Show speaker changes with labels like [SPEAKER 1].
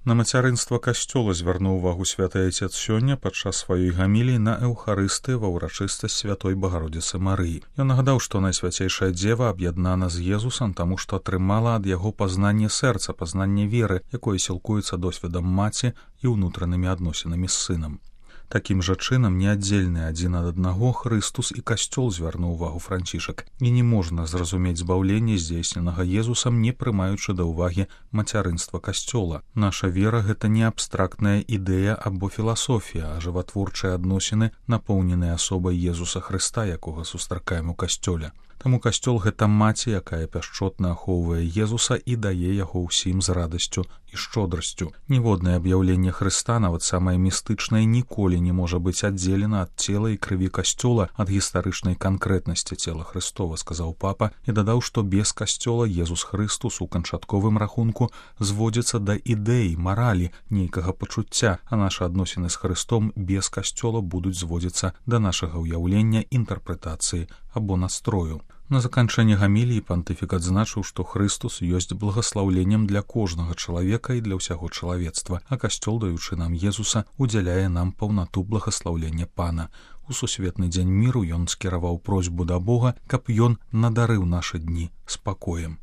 [SPEAKER 1] На мацярынства касцёла звярнуў увагу святы Айцец сёння падчас сваёй гаміліі на Эўхарыстыі ва ўрачыстасць святой Багародзіцы Марыі. Ён нагадаў, што Найсвяцейшая Дзева аб'яднана з Езусам, таму што атрымала ад яго пазнанне сэрца, пазнанне веры, якое сілкуецца досведам маці і ўнутранымі адносінамі з сынам. Такім жа чынам, неаддзельны адзін ад аднаго, Хрыстус і касцёл, звярнуў увагу Францішак. І не можна зразумець збаўленне, здзейсненага Езусам, не прымаючы да ўвагі мацярынства касцёла. Наша вера — гэта не абстрактная ідэя або філасофія, а жыватворчыя адносіны, напоўненыя асобай Езуса Хрыста, якога сустракаем у касцёле. Таму касцёл — гэта маці, якая пяшчотна ахоўвае Езуса і дае яго ўсім з радасцю і шчодрасцю. Ніводнае аб'яўленне Хрыста, нават самае містычнае, ніколі не можа быць аддзелена ад цела і крыві касцёла, ад гістарычнай канкрэтнасці цела Хрыстова, сказаў папа, і дадаў, што без касцёла Езус Хрыстус у канчатковым рахунку зводзіцца да ідэі, маралі, нейкага пачуцця, а нашы адносіны з Хрыстом без касцёла будуць зводзіцца да нашага ўяўлення, інтэрпрэтацыі або настрою. На заканчэнне гаміліі пантыфік адзначыў, што Хрыстус ёсць благаслаўленнем для кожнага чалавека і для ўсяго чалавецтва, а касцёл, даючы нам Езуса, удзяляе нам паўнату благаслаўлення Пана. У сусветны дзень міру ён скіраваў просьбу да Бога, каб ён надарыў нашы дні спакоем.